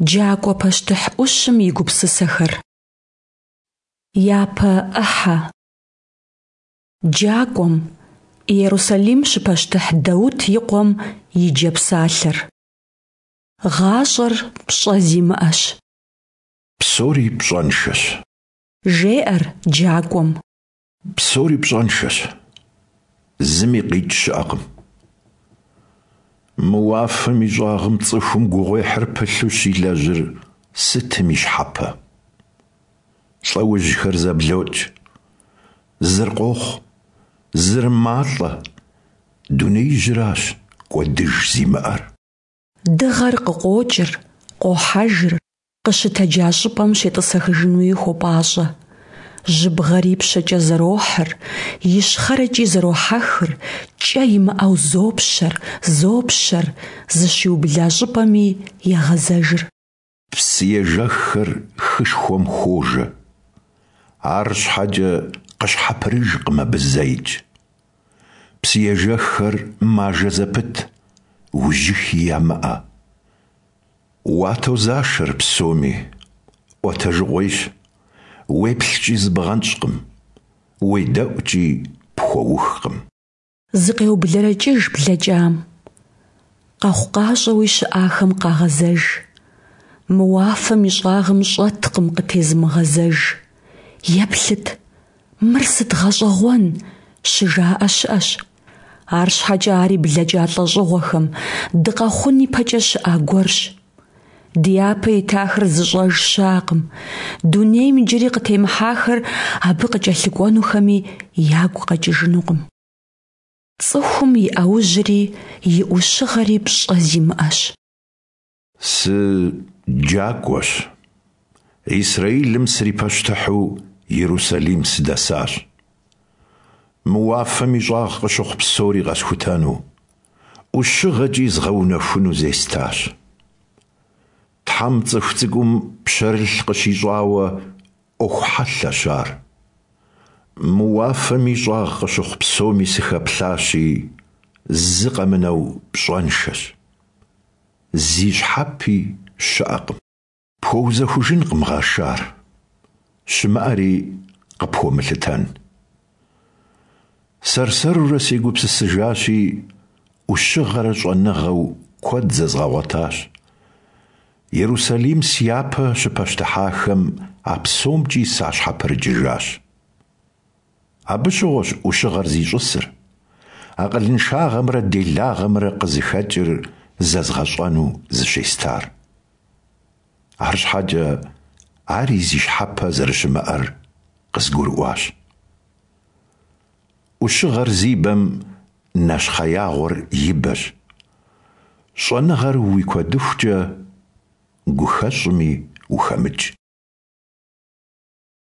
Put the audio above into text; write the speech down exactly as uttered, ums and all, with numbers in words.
Джакӏуэ пащтыхь ӏущым и гупсысэхэр. Япэ ӏыхьэ. Джакӏуэм, Иерусалим щыпащтыхь Даут и къуэм и джэпсалъэр. Гъащӏэр пщӏэ зимыӏэщ. Псори пщӏэншэщ. Жеӏэр джакӏуэм. Псори пщӏэншэщ. Зыми къикӏ щыӏэкъым. Мы уафэм и щӏагъым цӏыхум гугъуехьыр пылъу щилэжьыр сытым и щхьэпэ? Лӏэужьхэр зэблокӏ. Зыр къохъу, зыр малӏэ, дунеижьыращ кӏуэдыж зимыӏэр. Дыгъэр къыкъуокӏыр, къуохьэжыр, къыщытэджа щӏыпӏэм щетӏысэхыжынуи хуопӏащӏэ. Жьыбгъэр ипщэкӏэ зэрохьыр, ищхъэрэкӏи зэрохьэхыр, кӏэ имыӏэу зопщэр, зопщэр, зыщиубла щӏыпӏэми егъэзэжыр. Псыежэххэр хышхуэм хуожэ. Арщхьэкӏэ къыщхьэпрыжкъым абы зэикӏ. Псыежэххэр мажэ зэпыт, ужьыхи ямыӏэ. Уатозашэр псоми, ӏуэтэжыгъуейщ, уеплъкӏи зыбгъэнщӏкъым, уедэӏукӏи пхуэухкъым. Зыкъеублэрэкӏыж блэкӏам, къэхъукъащӏэуи щыӏахэм къагъэзэж. Мы уафэм и щӏагъым щӏэткъым къытезымыгъэзэж. Еплъыт, мыр сыт гъэщӏэгъуэн, щыжаӏэ щыӏэщ. Арщхьэкӏэ ари блэкӏа лӏэщӏыгъуэхэм, дыкъэхъун ипэкӏэ щыӏа гуэрщ. Ди япэ итахэр зыщӏэж щыӏэкъым, дунейм иджыри къытемыхьахэр абы къыкӏэлъыкӏуэнухэми ягу къэкӏыжынукъым. Цӏыхум и ӏэужьри и ӏущыгъэри пщӏэ зимыӏэщ. Сыджакӏуэщ. Исраилым срипащтыхьу Иерусалим сыдэсащ. Мы уафэм и щӏагъ къыщыхъу псори къэсхутэну, ӏущыгъэкӏи згъэунэхуну зестащ. Тхьэм цӏыху цӏыкӏум пщэрылъ къыщищӏауэ ӏуэху хьэлъэщ ар. Мы уафэм и щӏагъ къыщыхъу псоми сыхэплъащи, зы къэмынэу пщӏэншэщ. Зи щхьэпи щыӏэкъым. Пхуэузэхужынкъым гъэшар, щымыӏэри къыпхуэмылъытэн. Сэр-сэрурэ сегупсысыжащи, ӏущыгъэрэ щӏэныгъэу куэд зэзгъэгъуэтащ. Иерусалим сяпэ щыпащтыхьахэм а псомкӏи сащхьэпрыкӏыжащ. Абы щыгъуэщ ӏущыгъэр зищӏысыр, акъылыншагъэмрэ делагъэмрэ къызыхэкӏыр зэзгъэщӏэну зыщестар. Арщхьэкӏэ ари зи щхьэпэ зэрыщымыӏэр къызгурыӏуащ. Ӏущыгъэр зи бэм нэщхъеягъуэр и бэщ. Щӏэныгъэр уи куэдыхукӏэ гухэщӏми ухэмыкӏ.